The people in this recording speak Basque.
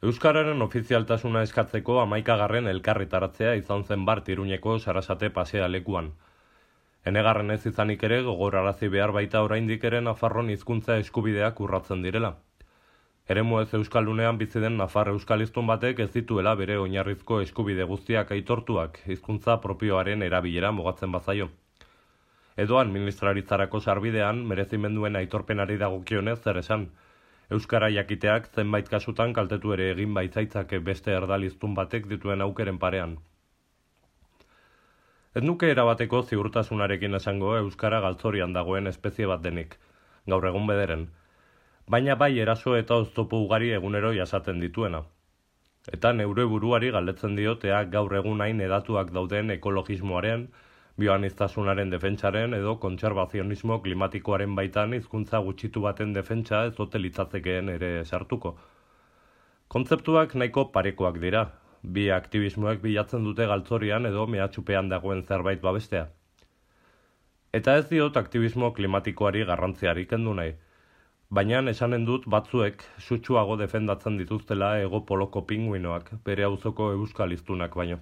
Euskararen ofizialtasuna eskatzeko 11. elkarritaratzea izan zen bart Iruñeko Sarasate pasea lekuan. Enegarren ez izanik ere gogorarazi behar baita oraindik ere Nafarron hizkuntza eskubideak urratzen direla. Eremu ez euskaldunean bizi den nafar euskaliztun batek ez dituela bere oinarrizko eskubide guztiak aitortuak hizkuntza propioaren erabilera mugatzen bazaio. Edo administraritzarako sarbidean merezimenduen aitorpenari dagokionez zer esan. Euskara jakiteak zenbait kasutan kaltetu ere egin baitzaitzake beste erdaliztun batek dituen aukeren parean. Ez nuke erabateko ziurtasunarekin esango euskara galtzorian dagoen espezie bat denik, gaur egun bederen, baina bai eraso eta oztopo ugari egunero jasaten dituena. Eta neure buruari galdetzen diotea gaur egun hain hedatuak dauden ekologismoaren, bioaniztasunaren defentsaren edo kontserbazionismo klimatikoaren baitan hizkuntza gutxitu baten defentsa ez ote litzattekeen ere sartuko. Kontzeptuak nahiko parekoak dira, bi aktivismoek bilatzen dute galtzorian edo mehatxupean dagoen zerbait babestea. Eta ez diot aktivismo klimatikoari garrantziari kendu nahi, baina esanen dut batzuek sutsuago defendatzen dituztela Hego Poloko pinguinoak, bere auzoko euskal hiztunak baino.